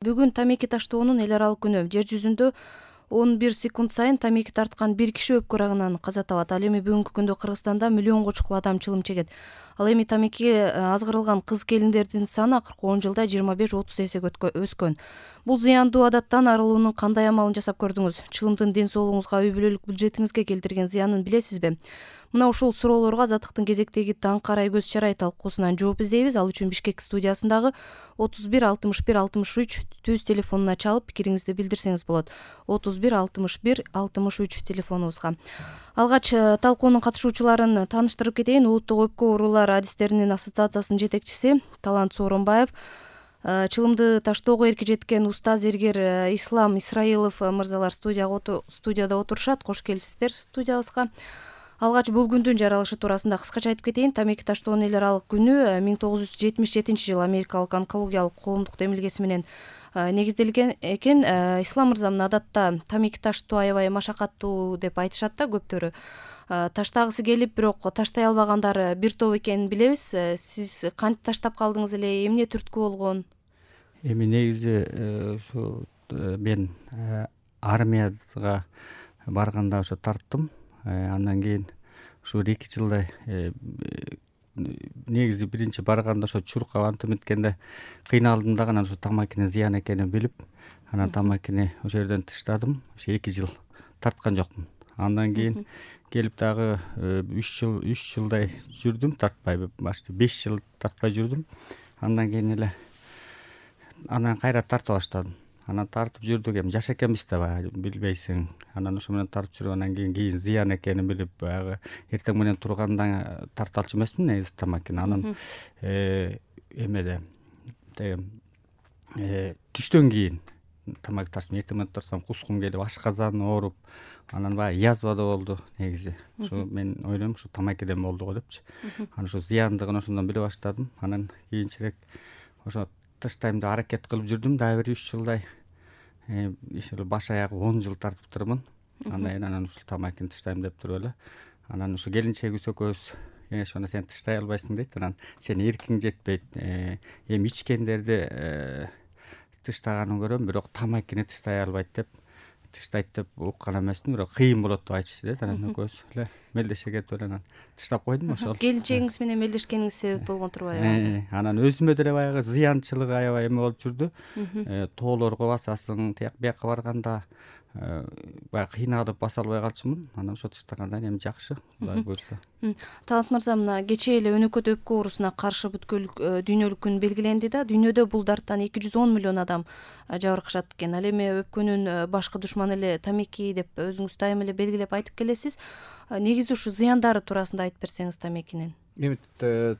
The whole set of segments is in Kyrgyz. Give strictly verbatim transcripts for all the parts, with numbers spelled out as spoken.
Бүгүн тамеки таштоонун эл аралык күнү. Жер жүзүндө он бир секунд сайын тамеки тарткан бир киши өпкө рагынан каза табат. Ал эми бүгүнкү күндө Кыргызстанда миллионго чукул адам чылым чегет. Ал эми тамеки азгырылган кыз келиндердин саны акыркы он жылда жыйырма беш отуз эсеге өскөн. Бул зыяндуу адаттан арылуунун кандай амалын жасап көрдүңүз? Чылымдын ден соолугуңузга, үй бүлөлүк бюджетиңизге келтирген зыянын билесизби? Мына ушул суроолорго Азаттыктын кезектеги таң карай көз чарай талкуусунан жооп издейбиз. Ал үчүн Бишкек студиясындагы отуз бир алтымыш бир алтымыш үч түз телефонуна чалып пикириңизди билдирсеңиз болот. отуз бир алтымыш бир алтымыш үч телефонубузга. Алгач талкуунун катышуучуларын тааныштырып кетейин. Улуттук өпкө оорулары адистеринин ассоциациясынын жетекчиси Талант Сооронбаев, чылымды таштоого эрки жеткен уста зергер Ислам Исраилов мырзалар студияда отурушат. Кош келипсиздер студиябызга. Алгач бул күндүн жаралышы туурасында кыскача айтып кетейин. Тамеки таштоонун эл аралык күнү миң тогуз жүз жетимиш жетинчи жылы Америкалык онкологиялык коомдук демилгеси менен негизделген экен. Ислам мырза, мына адатта тамеки таштоо аябай машакаттуу деп айтышат да көптөрү. Таштагысы келип, бирок таштай албагандар бир топ экенин билебиз. Сиз кантип таштап калдыңыз эле? Эмне түрткү болгон? Эми негизи ушу мен армияга барганда ошо тарттым. Андан кийин ушу эки жылдай негизи биринчи барганда ошо чуркап антип эметкенде кыйналдым дагы. Анан ушу тамакинин зыян экенин билип, анан тамакини ошол жерден таштадым. Ошо эки жыл тарткан жокмун. Андан кийин келип дагы үч жыл үч жылдай жүрдүм тартпай, башты беш жыл тартпай жүрдүм. Андан кийин эле анан кайра тарта баштадым. Анан тартып жүрдүк, эми жаш экенбиз да, баягы билбейсиң. Анан ошо менен тартып жүргөндөн кийин кийин зыян экенин билип, баягы эртең менен турганда тарталчу эмесмин негизи тамакини. Анан эмеде түштөн кийин тамак тартып эртең менен турсам кускум келип, ашказан ооруп, анан баягы язва да болду негизи. Ушу мен ойлойм, ушу тамакиден болду го депчи. Анан ушу зыяндыгын ошондон биле баштадым. Анан кийинчерээк ошо таштайм деп аракет кылып жүрдүм дагы бир үч жылдай. Иши баш аягы он жыл тартып турмун. Андан кийин анан ушул тамакини таштайм деп туруп эле. Анан ушу келинчегибиз экөөбүз кеңеш берди, сен таштай албайсың дейт. Анан сен эркиң жетпейт. Эми ичкендерди таштаганын көрөм, бирок тамакини таштай албайт деп, таштайт деп уккан эмесмин, бирок кыйын болот деп айтышты дейт. Анан экөөбүз эле мелдеше кетип эле анан таштап койдум ошол. Келинчегиңиз менен мелдешкениңиз себеп болгон турбайбы? Анан өзүмө деле баягы зыянчылыгы аябай эме болуп жүрдү. Тоолорго басасың, тияк бияка барганда баягы кыйналып баса албай калчумун. Анан ошо таштагандан эми жакшы, Кудай буйрса. Талант мырза, мына кечээ эле өнөкөт өпкө оорусуна каршы бүткүл дүйнөлүк күн белгиленди да. Дүйнөдө бул дарттан эки жүз он миллион адам жабыркашат экен. Ал эми өпкөнүн башкы душманы эле тамеки деп өзүңүз дайыма эле белгилеп айтып келесиз. Негизи ушу зыяндары туурасында айтып берсеңиз тамекинин. Эми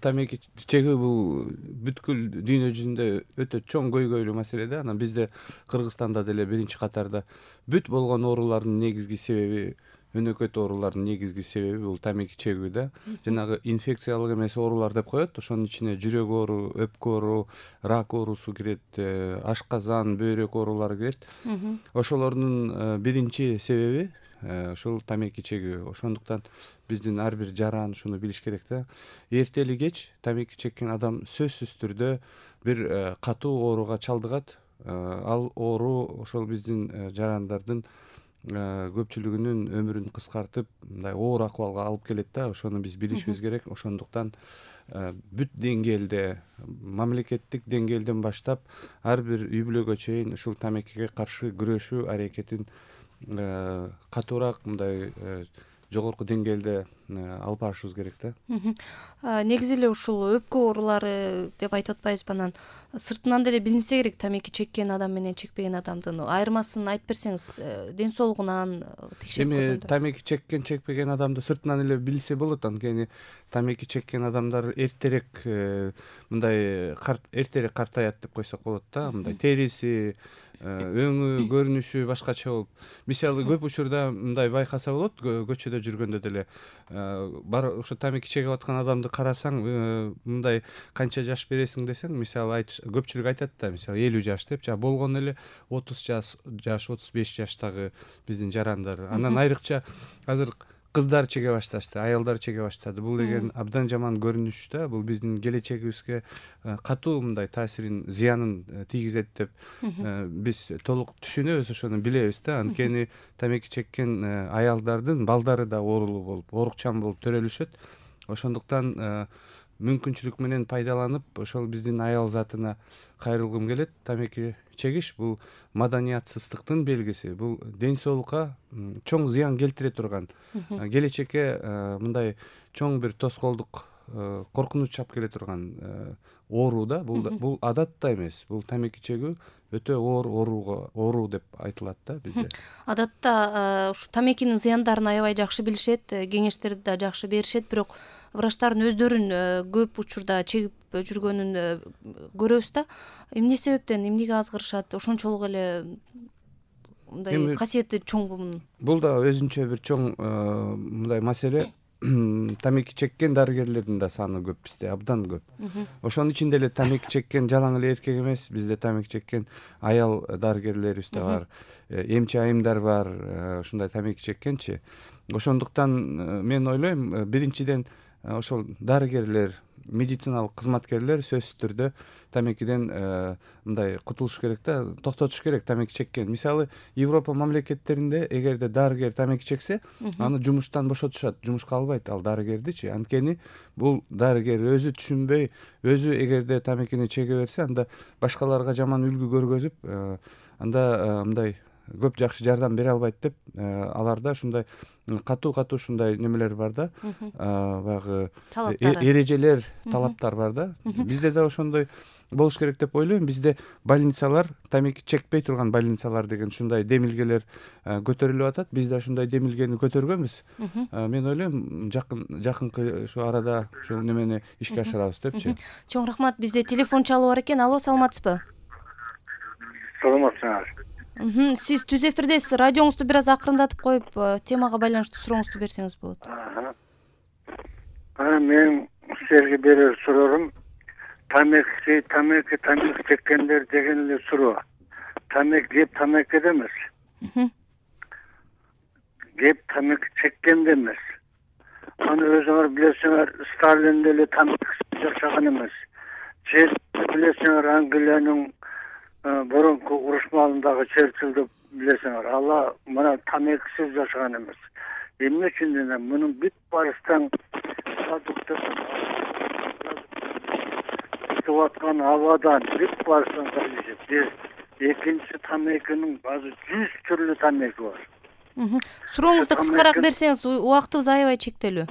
тамеки чегүү бул бүткүл дүйнө жүзүндө өтө чоң көйгөйлүү маселе да. Анан бизде Кыргызстанда деле биринчи катарда бүт болгон оорулардын негизги себеби, өнөкөт оорулардын негизги себеби бул тамеки чегүү да. Жанагы инфекциялык эмес оорулар деп коет. Ошонун ичине жүрөк оору, өпкө оору, рак оорусу кирет, ашказан, бөйрөк оорулары кирет. Ошолордун биринчи себеби ошол тамеки чегүү. Ошондуктан биздин ар бир жаран ушуну билиш керек да. Эртели кеч тамеки чеккен адам сөзсүз түрдө бир катуу ооруга чалдыгат. Ал оору ошол биздин жарандардын көпчүлүгүнүн өмүрүн кыскартып, мындай оор акыбалга алып келет да. Ошону биз билишибиз керек. Ошондуктан бүт деңгээлде, мамлекеттик деңгээлден баштап ар бир үй бүлөгө чейин ушул тамекиге каршы күрөшүү аракетин катуураак, мындай жогорку деңгээлде алып барышыбыз керек да. Негизи эле ушул өпкө оорулары деп айтып атпайбызбы? Анан сыртынан деле билинсе керек тамеки чеккен адам менен чекпеген адамдын айырмасын айтып берсеңиз, ден соолугунан текшерип көргөндө. Эми тамеки чеккен, чекпеген адамды сыртынан эле билсе болот. Анткени тамеки чеккен адамдар эртерээк мындай эртерээк картаят деп койсок болот да. Мындай териси, өңү, көрүнүшү башкача болуп. Мисалы көп учурда мындай байкаса болот, көчөдө жүргөндө деле бар ошо тамеки чегип аткан адамды карасаң, мындай канча жаш бересиң десең, мисалы көпчүлүк айтат да, мисалы элүү жаш деп, жа болгону эле отуз жаш, отуз беш жаштагы биздин жарандар. Анан айрыкча азыр кыздар чеге башташты, аялдар чеге баштады. Бул деген абдан жаман көрүнүш да. Бул биздин келечегибизге катуу мындай таасирин, зыянын тийгизет деп биз толук түшүнөбүз, ошону билебиз да. Анткени тамеки чеккен аялдардын балдары да оорулуу болуп, оорукчан болуп төрөлүшөт. Ошондуктан мүмкүнчүлүк менен пайдаланып, ошол биздин аял затына кайрылгым келет. Тамеки чегиш бул маданиятсыздыктын белгиси. Бул ден соолукка чоң зыян келтире турган, келечекке мындай чоң бир тоскоолдук, коркунуч чап келе турган оору да. Бул бул адат да эмес. Бул тамеки чегүү өтө оор ооруга оору деп айтылат да бизде. Адатта ушу тамекинин зыяндарын аябай жакшы билишет, кеңештерди да жакшы беришет, бирок врачтардын өздөрүн көп учурда чегип жүргөнүн көрөбүз да. Эмне себептен, эмнеге азгырышат? Ошончолук эле мындай касиети чоң мунун. Бул да өзүнчө бир чоң мындай маселе. Тамеки чеккен дарыгерлердин да саны көп бизде, абдан көп. Ошонун ичинде эле тамеки чеккен жалаң эле эркек эмес, бизде тамеки чеккен аял дарыгерлерибиз да бар, эмчи айымдар бар, ушундай тамеки чеккенчи. Ошондуктан мен ойлойм, биринчиден ошол дарыгерлер, медициналык кызматкерлер сөзсүз түрдө тамекиден мындай кутулуш керек да, токтотуш керек тамеки чеккен. Мисалы, Европа мамлекеттеринде эгерде дарыгер тамеки чексе, аны жумуштан бошотушат, жумушка албайт ал дарыгердичи. Анткени бул дарыгер өзү түшүнбөй, өзү эгерде тамекини чеге берсе, анда башкаларга жаман үлгү көргөзүп, анда мындай көп жакшы жардам бере албайт деп, аларда ушундай катуу-катуу ушундай немелер бар да, баягы эрежелер, талаптар бар да. Бизде да ошондой болуш керек деп ойлойм. Бизде больницалар, тамеки чекпей турган больницалар деген ушундай демилгелер көтөрүлүп атат. Биз да ушундай демилгени көтөргөнбүз. Мен ойлойм, жакын жакынкы ушу арада ушул немени ишке ашырабыз депчи. Чоң рахмат. Бизде телефон чалуу бар экен. Алло, саламатсызбы? Саламатсыңар. Сиз түз эфирдесиз. Радионузду бир аз акырындатып коюп, темага байланыштуу сурооңузду берсеңиз болот. Мен силерге берер суроорум, тамеки, тамеки, тамеки чеккендер деген эле суроо. Тамеки кеп тамекиде эмес. Кеп тамеки чеккенде эмес. Аны өзүңөр билесиңер, Сталин деле тамеки жашаган эмес. Чер билесиңер, Англиянын борунку уруш маалындагы Черчиллди билесиңер, ала мына тамекисиз жашаган эмес. Эмне үчүн десем, мунун бүт барыстан чыгып аткан абадан бүт барыстан зависит. Экинчи тамекинин азыр жүз түрлүү тамеки бар. Сурооңузду кыскараак берсеңиз, убактыбыз аябай чектелүү.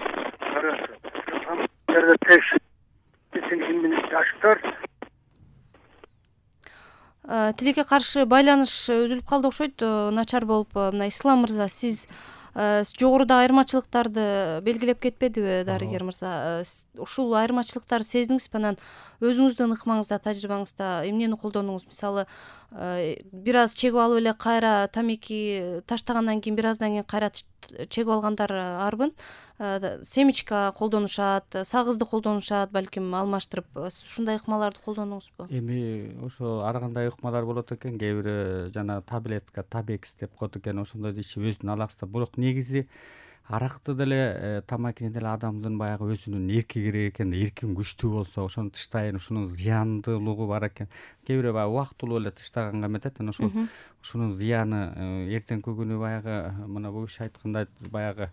Тилекке каршы байланыш үзүлүп калды окшойт, начар болуп. Мына Ислам мырза, сиз жогоруда айырмачылыктарды белгилеп кетпедиби, дарыгер мырза? Ушул айырмачылыктарды сездиңизби? Анан өзүңүздүн ыкмаңызда, тажрыйбаңызда эмнени колдондуңуз? Мисалы, бир аз чегип алып эле кайра тамеки таштагандан кийин, бир аздан кийин кайра чегип алгандар арбын. Семечка колдонушат, сагызды колдонушат, балким алмаштырып. Ушундай ыкмаларды колдондуңузбу? Эми ошо ар кандай ыкмалар болот экен. Кээ бири жана таблетка, табекс деп коет экен. Ошондой иши өзүнүн алаксыда. Бирок негизи аракты деле, тамакини деле адамдын баягы өзүнүн эрки керек экен. Эркин күчтүү болсо, ошону тыштайын, ушунун зыяндуулугу бар экен. Кээ бири баягы убактылуу эле тыштаганга эметет. Анан ошол ушунун зыяны эртеңки күнү баягы мына бул киши айткандай баягы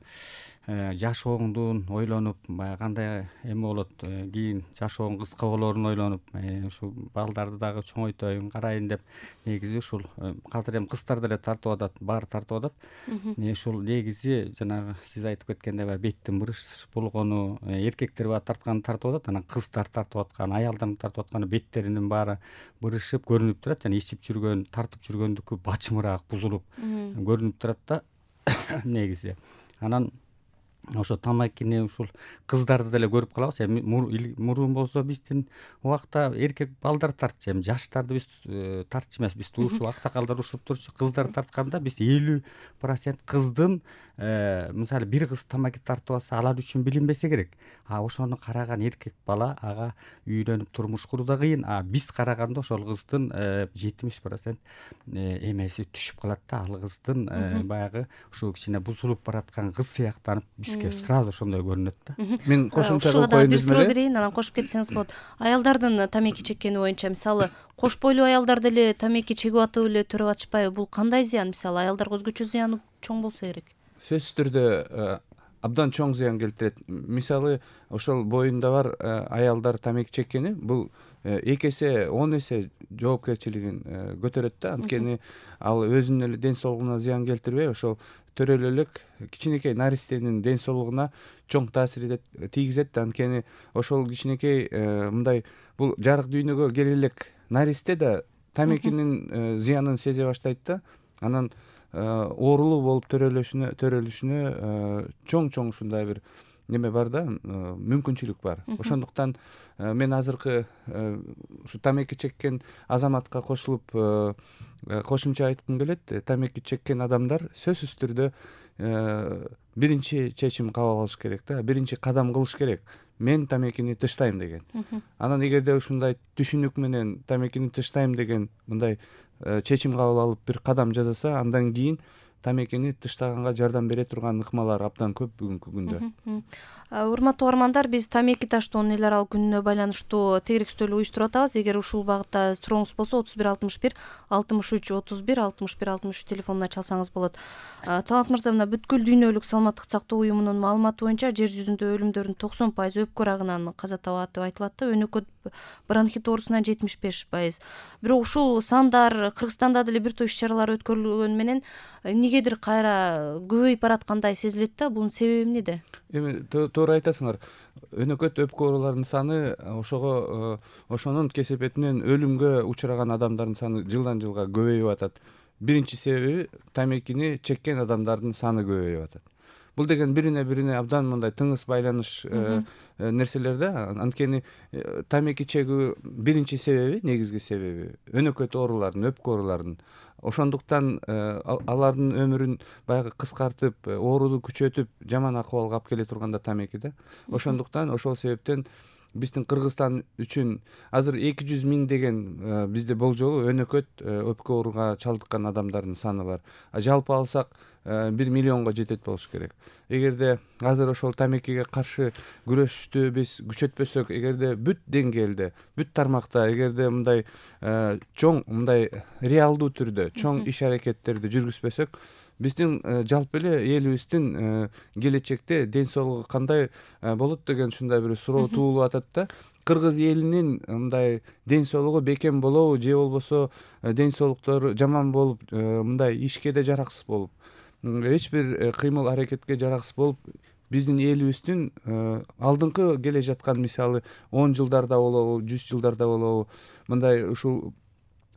жашооңдун ойлонуп, баягы кандай эме болот, кийин жашоом кыска болоорун ойлонуп, ушу балдарды дагы чоңойтоюн, карайын деп, негизи ушул азыр эми кыздар деле тартып атат, баары тартып атат. Ушул негизи жанагы сиз айтып кеткендей, баягы беттин бырыш болгону, эркектер баягы тартканын тартып атат, анан кыздар тартып аткан, аялдардын тартып атканы беттеринин баары бырышып көрүнүп турат. Жана ичип жүргөн, тартып жүргөндүкү бачымыраак бузулуп көрүнүп турат да негизи. Анан ошо тамакини ушул кыздарды деле көрүп калабыз. Эми мурун болсо биздин убакта эркек балдар тартчу, эми жаштарды биз тартчу эмес, биз ушуп аксакалдар ушуп турчу. Кыздар тартканда биз элүү процент кыздын мисалы бир кыз тамаки тартып алса алар үчүн билинбесе керек. А ошону караган эркек бала ага үйлөнүп турмуш куруу да кыйын. А биз караганда ошол кыздын жетимиш процент эмеси түшүп калат да. Ал кыздын баягы ушул кичине бузулуп бараткан кыз сыяктанып бизге сразу ошондой көрүнөт да. Мен кошумча ушуга кылып дагы коеюн бир десем суроо эле. берейин, анан кошуп кетсеңиз болот. Аялдардын тамеки чеккени боюнча мисалы кош бойлуу аялдар деле тамеки чегип атып эле төрөп атышпайбы? Бул кандай зыян? Мисалы аялдарга өзгөчө зыяны чоң болсо керек. Сөзсүз түрдө абдан чоң зыян келтирет. Мисалы ошол боюнда бар аялдар тамеки чеккени бул эки эсе он эсе жоопкерчилигин көтөрөт да. Анткени ал өзүнүн эле ден соолугуна зыян келтирбей, ошол төрөлө элек кичинекей наристенин ден соолугуна чоң таасир тийгизет да. Анткени ошол кичинекей мындай бул жарык дүйнөгө келе элек наристе да тамекинин зыянын сезе баштайт да. Анан оорулуу болуп төрөлүшүнө төрөлүшүнө чоң чоң ушундай бир неме бар да, мүмкүнчүлүк бар. Ошондуктан мен азыркы ушу тамеки чеккен азаматка кошулуп кошумча айткым келет. Тамеки чеккен адамдар сөзсүз түрдө биринчи чечим кабыл алыш керек да, биринчи кадам кылыш керек. Мен тамекини тыштайм деген. Анан эгерде ушундай түшүнүк менен тамекини тыштайм деген мындай чечим кабыл алып бир кадам жасаса, андан кийин тамекини тыштаганга жардам бере турган ыкмалар абдан көп бүгүнкү күндө. Урматтуу угармандар, биз тамеки таштоонун эл аралык күнүнө байланыштуу тегерек стөл уюштуруп атабыз. Эгер ушул багытта сурооңуз болсо отуз бир алтымыш бир алтымыш үч отуз бир алтымыш бир алтымыш үч телефонуна чалсаңыз болот. Талант мырза, мына бүткүл дүйнөлүк саламаттык сактоо уюмунун маалыматы боюнча жер жүзүндө өлүмдөрдүн токсон пайызы өпкө рагынан каза табат деп айтылат да. Өнөкөт бронхит оорусунан жетимиш беш пайыз. Бирок ушул сандар Кыргызстанда деле бир топ иш чаралар өткөрүлгөнү менен эмнегедир кайра көбөйүп бараткандай сезилет да. Бунун себеби эмнеде? Эми туура айтасыңар. Өнөкөт өпкө ооруларынын саны ошого ошонун кесепетинен өлүмгө учураган адамдардын саны жылдан жылга көбөйүп атат. Биринчи себеби тамекини чеккен адамдардын саны көбөйүп атат. Бул деген бирине бирине абдан мындай тыңыз байланыш нерселер да. Анткени тамеки чегүү биринчи себеби, негизги себеби өнөкөт оорулардын, өпкө оорулардын. Ошондуктан алардын өмүрүн баягы кыскартып, ооруну күчөтүп, жаман акыбалга алып келе турганда тамеки да. Ошондуктан ошол себептен биздин Кыргызстан үчүн азыр эки жүз миң деген бизде болжолу өнөкөт өпкө ооруга чалдыккан адамдардын саны бар. Жалпы алсак бир миллионго жетет болуш керек. Эгерде азыр ошол тамекиге каршы күрөштү биз күчөтпөсөк, эгерде бүт деңгээлде, бүт тармакта, эгерде мындай чоң, мындай реалдуу түрдө чоң иш аракеттерди жүргүзбөсөк, биздин жалпы эле элибиздин келечекте ден соолугу кандай болот деген ушундай бир суроо туулуп атат да. Кыргыз элинин мындай ден соолугу бекем болобу, же болбосо ден соолуктары жаман болуп, мындай ишке да жараксыз болуп, эч бир кыймыл аракетке жараксыз болуп, биздин элибиздин алдыңкы келе жаткан мисалы он жылдарда болобу, жүз жылдарда болобу, мындай ушул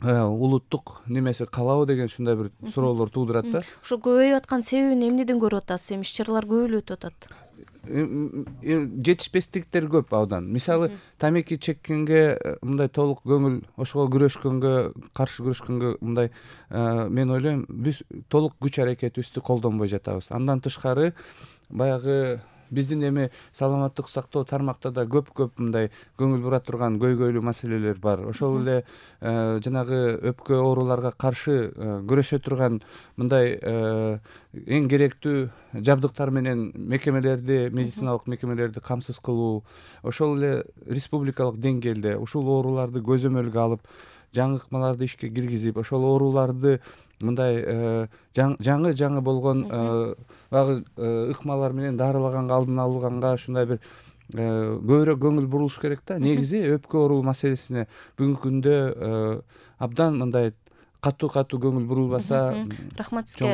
улуттук немеси калабы деген ушундай бир суроолор туудурат да. Ошо көбөйүп аткан себебин эмнеден көрүп атасыз? Эми иш чаралар көп эле өтүп атат. Жетишпестиктер көп абдан. Мисалы тамеки чеккенге мындай толук көңүл, ошого күрөшкөнгө, каршы күрөшкөнгө мындай мен ойлойм, биз толук күч аракетибизди колдонбой жатабыз. Андан тышкары баягы биздин эми саламаттык сактоо тармакта да көп-көп мындай көңүл бура турган көйгөйлүү маселелер бар. Ошол эле жанагы өпкө ооруларга каршы күрөшө турган мындай эң керектүү жабдыктар менен мекемелерди, медициналык мекемелерди камсыз кылуу, ошол эле республикалык деңгээлде ушул ооруларды көзөмөлгө алып, жаңы ыкмаларды ишке киргизип, ошол ооруларды мындай жаңы жаңы болгон багы ыкмалар менен дарылаганга, алдын алганга ушундай бир көбүрөөк көңүл бурулуш керек да. Негизи өпкө оору маселесине бүгүнкү күндө абдан мындай катуу катуу көңүл бурулбаса. Рахмат сизге.